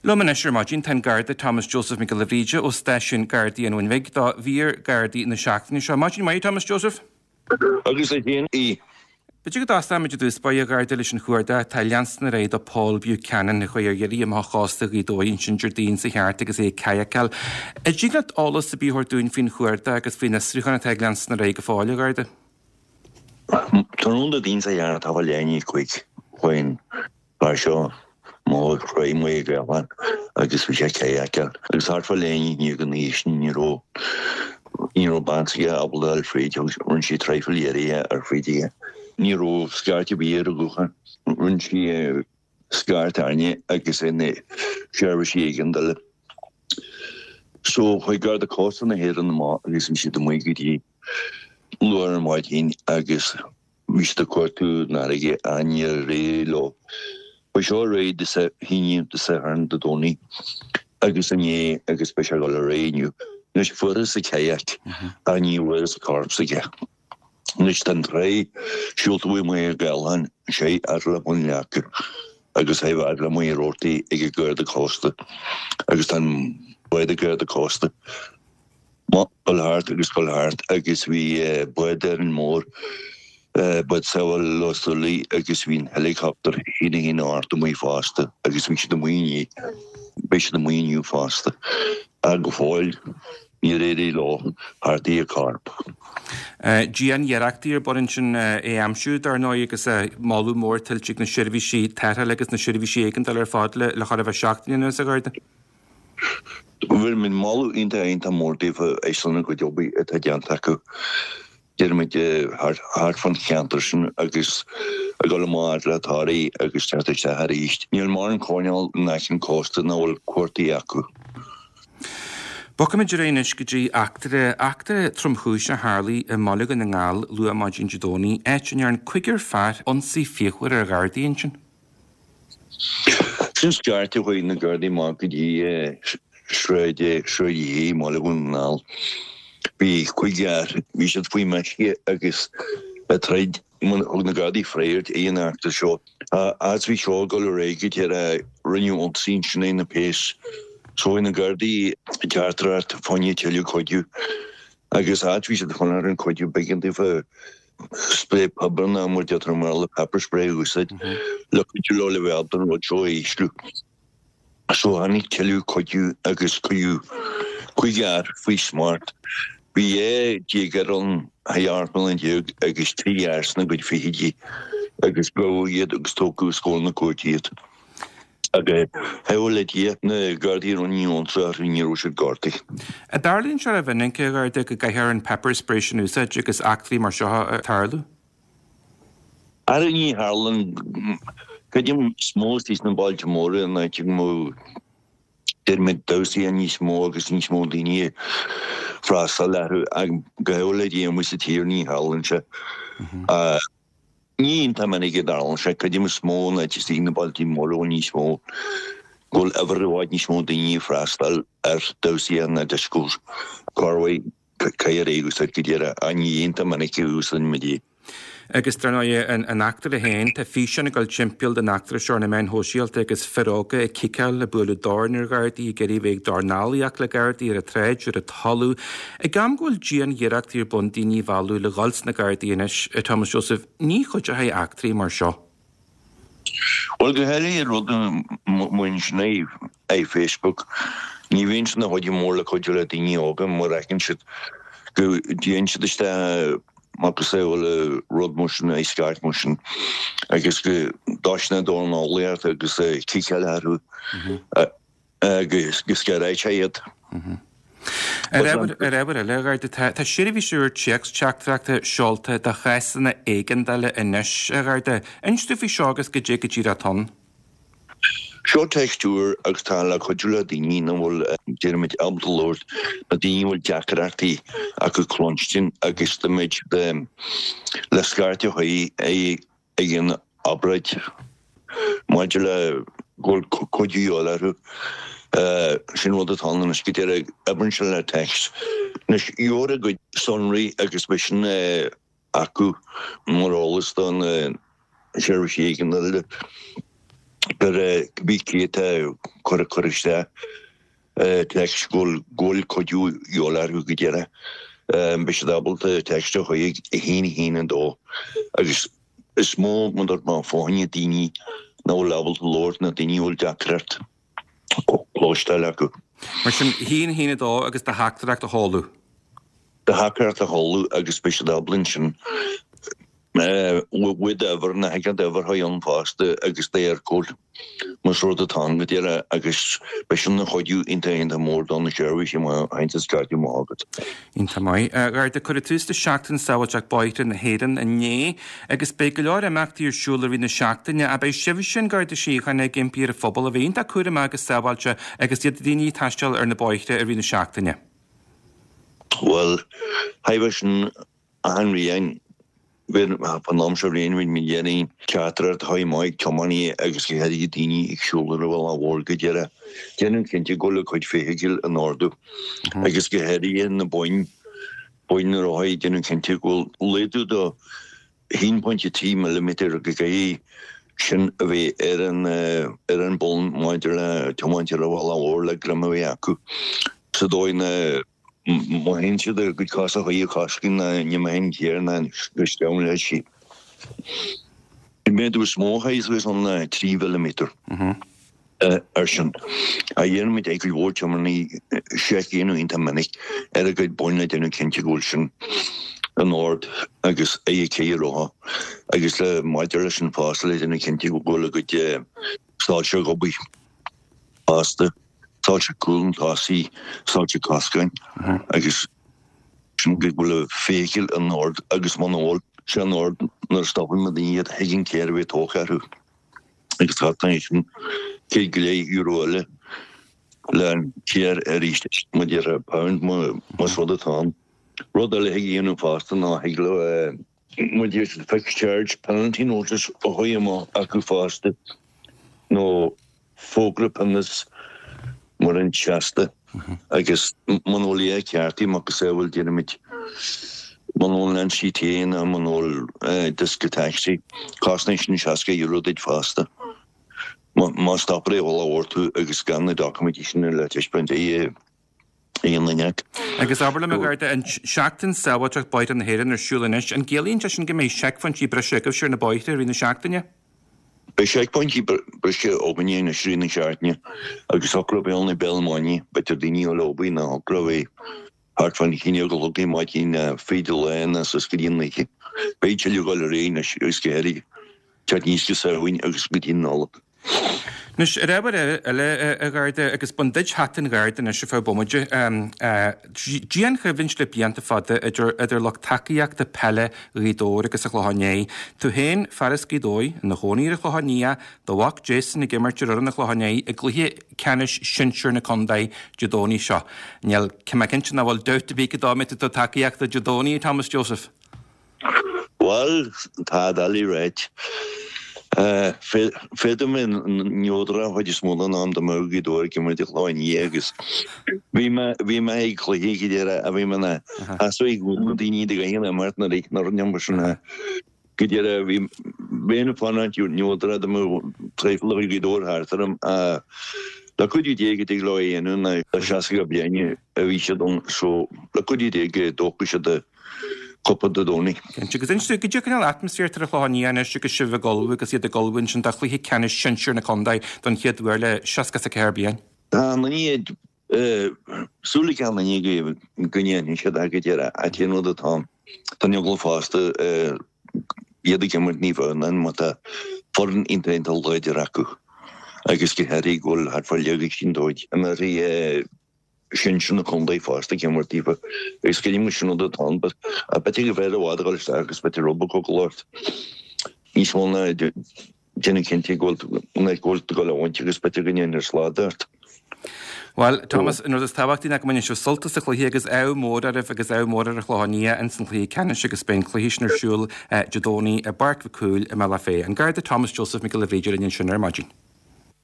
Liom anois ar maidin tá an Garda Thomas Joseph Mac Giolla Bhríde ó Stáisiún Gardaí an Bhun Bhig do mhír Gardaí na seachtaine seo. Maidin mhaith, Thomas Joseph. Agus duit féin í. B'fhéidir go dtosóimid i dtús báire, a Gharda, leis an chuardach atá ag leanstan ar aghaidh do Paul Buchanan a chuaigh ar iarraidh amach ó chósta Ghaoth Dobhair ansin Déardaoin seo thart agus é ag cadhcáil. An dtig leat eolas ar bith a thabhairt dúinn faoin chuardach agus faoin fhiosrúchán atá ag leanstan ar aghaidh go fóill, a Gharda? Tráthnóna Déardaoin seo thart, thart fá leath i ndiaidh 5 chuaigh an fear seo amach ó thráigh Mhaigh Ghaelán agus bhí sé ag cadhcáil agus thart fá leath i ndiaidh a 9 sin ní raibh ní raibh bean s'aige ábalta a fháil fríd agus rinne sí traidhfil iarraidh a fháil fríd aige. Ní raibh scairt ar bith ar a ghuthán. Rinne sí scairt orainne agus ar na seirbhísí éigeandála. So chuaigh Garda Cósta na hÉireann amach agus bhí siad amuigh go dtí luath ar maidin agus Bhí siad ag cuartú an fharraige ach níor éirigh leo. Chuaigh seo ar aghaidh Dé hAoine, Dé Sathairn, Dé Domhnaigh agus inné agus beidh sé ag dul ar aghaidh inniu. Anois fuarthas a kayak ach ní bhfuarthas an corp s'aige. Anois tá an tráigh siúlta uaidh Machaire Gathlán, sé fhad le Bun Leaca agus sé fhad le Machaire Rabhartaigh ag an Garda Cósta agus tá an bád ag Garda Cósta. Ag dul thart agus dul thart agus bhí bád Árainn Mhór, bád sábhála Lough Súilí agus bhí an helicopter 118 amuigh fosta agus bhí siad amuigh inné, beidh siad amuigh inniu fosta ach go fóill níor éirigh leo theacht ar a chorp. Dian-iarrachtaí ar bun ansin é a aimsiú, dar ndóigh, agus moladh mór tuillte ag na seirbhísí tarrthála agus na seirbhísí éigeandála ar fad le chóir a bheith seachtain anuas, a Gharda. Bheirimid moladh iontach iontach mór daofa ar son a gcuid obair atá déanta acu, deirimid, thart fán cheantar sin agus ag dul amach le Toraigh agus teacht isteach arís. Níl mórán coirnéal in aice an chósta nach bhfuil cuartaithe acu. Bogfaimid ar aghaidh anois go dtí eachtra, eachtra tromchúiseach a tharlaigh i mBaile Dhún na nGall luath maidin Dé Domhnaigh, áit a ndearn cúigear fear ionsaí fíochmhar ar Ghardaí ansin. Sin scairt a chuaigh na Gardaí amach go dtí Sráid Sráid Uí i mBaile Dhún na nGall. Bhí cúigear, bhí siad faoi meisce agus ag troid. Thug na Gardaí freagairt ag an eachtra seo. As bhí seo ag dul ar aghaidh go deireadh rinneadh ionsaí ansin ar na péas. So chuaigh na Gardaí teachtaireacht fá choinne tuilleadh cuidiú agus áit bhí siad ag fanacht ar an cuidiú b'éigean daofa Sprae piobair nó mar a deirtear i mBéarla pepper spray a úsáid le cuidiú leo le bheith ábalta an rud seo a ísliú. So tháinig tuilleadh cuidiú agus cuireadh cúigear faoi smacht. Bhí 12 déagóir ann, 18 mbliana agus 3 fhear sna gcuid fichidí agus gabhadh iad agus tógadh os comhair na cúirte iad. Agus thaobh le Dia, na Gardaí a rinne ionsaí orthu ní raibh siad gortaithe. An dtarlaíonn sé rómhinic, a Gharda, go gcaithfear an pepper spray sin a úsáid agus eachtraí mar seo ag tarlú? Ara ní tharlaíonn. Creidim is mó istigh sna bailte móra in áit go mbeadh deirimid damhsaí níos mó agus níos mó daoine ag freastal orthu. Ach go thaobh le Dia amuigh sa tír ní tharlaíonn sé. Ní iontach minic a dtarlaíonn sé, creidim is mó in áit istigh na bailtí móra bhfuil níos mó, go bhfuil uimhir i bhfad níos mó daoine ag freastal ar damhsaí ná discos. Corruair, caithfear é a úsáid go díreach, ach ní iontach minic a úsáideann muid é. Agus dar ndóigh, an eachtra féin, tá físeán ag dul timpeall den eachtra seo ar na meáin shóisialta agus fir óga ag ciceáil, ag bualadh dorn ar Ghardaí, ag iarraidh a bheith ag dornálaíocht le Gardaí ar an tsráid, ar an talamh. Ag am go bhfuil dian-iarrachtaí ar bun daoine a mhealladh le dhul sna Gardaí anois, a Thomas Joseph, ní chuideoidh eachtraí mar seo. Bhuel, go háirithe rud mar sin é Facebook, ní bhíonn sin ina chuidiú mór le cuidiú le daoine óga mar fheiceann siad go dtéann siad isteach macasamhail rud mar sin, é scairt mar sin agus go dtoisíonn dornálaíocht agus ciceáil orthu. Agus go scanraíonn sé iad. Ar ábhar eile, a Gharda, tá seirbhís úr téacs-teachtaireachta seolta do chásanna éigeandála anois, a Gharda. Inis dúinn faoi seo agus goidé go díreach atá ann. Seo text úr agus tá le cuidiú le daoine nach bhfuil, déarfaimid, ábalta labhairt, na daoine a bhfuil deacrachtaí acu cluinstin agus táimid le scairt a chur ag an obráid maidir le go bhfuil cuidiú de dhíobháil orthu. Sin rud atá ann anois go díreach, oibríonn sé le text. Anois, gheobhair a gcuid sonraí agus beidh sin acu mar eolas do na seirbhísí éigeandála. Cibé cé atá ag cur cur isteach text go bhfuil cuidiú de dhíobháil orthu go díreach. Beidh siad ábalta text a chur chuig 1 1 2 agus is mó mar dúirt mé fá choinne daoine nach bhfuil ábalta labhairt nó daoine a bhfuil deacracht cloisteáil acu. Mar sin, 1 1 2 agus do theachtaireacht a sheoladh. Do theachtaireacht a sheoladh agus beidh siad ábalta ansin uaidh d'uimhir, na thig leat d'uimhir a chur ann fosta agus d'Eircode más rud atá ann go díreach agus beidh sin ina chuidiú iontach iontach mór do na seirbhísí má théann siad scaití amach agat. Iontach maith. A Gharda, cuireadh tús le Seachtain Sábháilteacht Bóithre na hÉireann inné agus beidh go leor imeachtaí ar siúl i rith na seachtaine. Ach beidh sibhse, an Garda Síochána, ag impí ar an phobal a bheith iontach cúramach agus sábháilte agus iad daoine ag taisteal ar na bóithre i rith na seachtaine. Bhuel, thaobh sin achan bhliain, fán am seo bhliain bhíonn muid ag iarraidh teachtaireacht a chur amach ag tiománaithe agus go háirithe daoine ag siúl ar an bhealach mhór go díreach. Déanamh cinnte go bhfuil a gcuid feithicle in ord agus go háirithe na boinn, boinn na rothaí, déanamh cinnte go bhfuil laghdú do 1.3 millimetre go gcaithfidh sin a bheith ar an ar an bonn maidir le tiomáint ar an bhealach mhór le greim a bheith acu sa dóigh na má théann siad a gcuid cosa chuig an chosc ná ní mbeidh an chéir ná go sceabhann leis sí. An méadú is mó a chaith suas ann ná 3 mhilliméadar. Ar sin, a dhéanaimid ag cuid mhór tiománaí seic a dhéanamh iontach minic ar a gcuid boinn le déanamh cinnte go bhfuil sin in ord agus ag a céidhe rotha agus le maidir leis an fosta le déanamh cinnte go bhfuil a gcuid soilse ag obair fosta, soilse cúil nó tosaigh, soilse coscáin agus sin go bhfuil a feithicil in ord agus muna bhfuil sé in ord nuair a stopann muid iad thig an céir a bheith tógtha orthu. Agus cosnaíonn sin €150 eile le an céir arís mar a déarfá pound más rud atá ann. Rud eile a thig a dhéanamh fosta ná thig leo mar a deir siad fixed charge penalty notice a chur amach acu fosta nó fógra pionóis mar an seasta agus muna bhfuil é ceartaithe macasamhail déarfaimid muna bhfuil an NCT ná muna bhfuil diosca tacsaí, cosnaíonn sin €60 duit fosta. Má stoptar ar an bhealach mhór tú agus gan na doiciméidí sin le taispeáint ag aon duine acu. Agus abair liom, a Gharda, an Seachtain Sábháilteacht Bóithre na hÉireann ar siúl anois, an gciallaíonn sé sin go mbeidh seicphointí breise agaibhse ar na bóithre i rith na seachtaine? Beidh seicphointí breise againne anois i rith na seachtaine agus thiocfadh leo bheith ann ag béal maidine, b'fhéidir daoine a bhfuil obair ná thiocfadh leo bheith thart fán haon a chlog ar maidin ná fríd an lá ná suas go dtí an oíche. Beidh tuilleadh ag dul ar aghaidh anois agus go háirithe teacht aníos go Samhain agus go dtí an Nollaig. Anois, ar ábhar eile, a Gharda, agus bain duit hata an Gharda anois ar feadh bomaite, dianchoimhlint le blianta fada idir idir lucht tacaíochta peile Ghaoth Dobhair agus an Chlocháin Léith. Tú féin, fear as Gaoth Dobhair, ina chónaí ar an Chlochán Liath, do mhac Jason ag imirt ar fhoireann an Chlocháin Léith i gcluiche ceannais sinsir na contae Dé Domhnaigh seo. Níl, tá mé cinnte nach bhfuil dabht ar bith cén dóigh a mbeidh tú ag tabhairt tacaíochta Dé Domhnaigh, a Thomas Joseph. Bhuel, tá doiligh ráit. Féadfaidh mé neodrach an chuid is mó den am dá mbeadh Gaoth Dobhair ag imirt an Chlocháin Liath agus bhí mé bhí mé ag cluiche go deireadh a bhí mé ina sheasamh ag na daoine de ghaoth an imirt nuair a nuair an iompar sin go deireadh bhí bheinn ag fanacht neodrach dá mbeadh traidhfil de chuid Ghaoth Dobhair thart orm le cuidiú Dé go dtig leo a dhéanamh ná le 60 bliain a bhí siad ann so le cuidiú Dé go dtógfaidh siad cupa Dé Domhnaigh. Cinnte. Agus inis dúinn, goidé cineál atmaisféar atá ar an Chlochán Liath anois agus sibh ag ullmhú agus iad ag ullmhú ansin do chluiche ceannais sinsir na contae don chéad uair le 64 bliain? Tá an duine súil ag an duine go go ndéanfaidh siad é go deireadh ach cén rud atá ann? Tá an eagla fosta iad ag imirt Naomh Adhamhnáin mar tá foireann iontach iontach láidir acu agus go háirithe go bhfuil thart fá leath dóibh imeartha sinsir na contae fosta ag imirt daofa agus creidim go sin rud atá ann but b'fhéidir go bhfearr i bhfad a dhul isteach agus b'fhéidir rud beag cogal ort níos mó ná déanamh cinnte go bhfuil go bhfuil tú ag dul a bhaint agus b'fhéidir go ndéanfar slad ort. Bhuel, Thomas, an rud is tábhachtaí ná go mbainfidh sibh sult as an chluiche agus ádh mór oraibh agus ádh mór ar an Chlochán Liath ins an chluiche ceannais agus beidh an cluiche sin ar siúl Dé Domhnaigh i bPáirc Mhic Cumhaill i mBealach Féich. An Garda Thomas Joseph Mac Giolla Bhríde linn ansin ar maidin.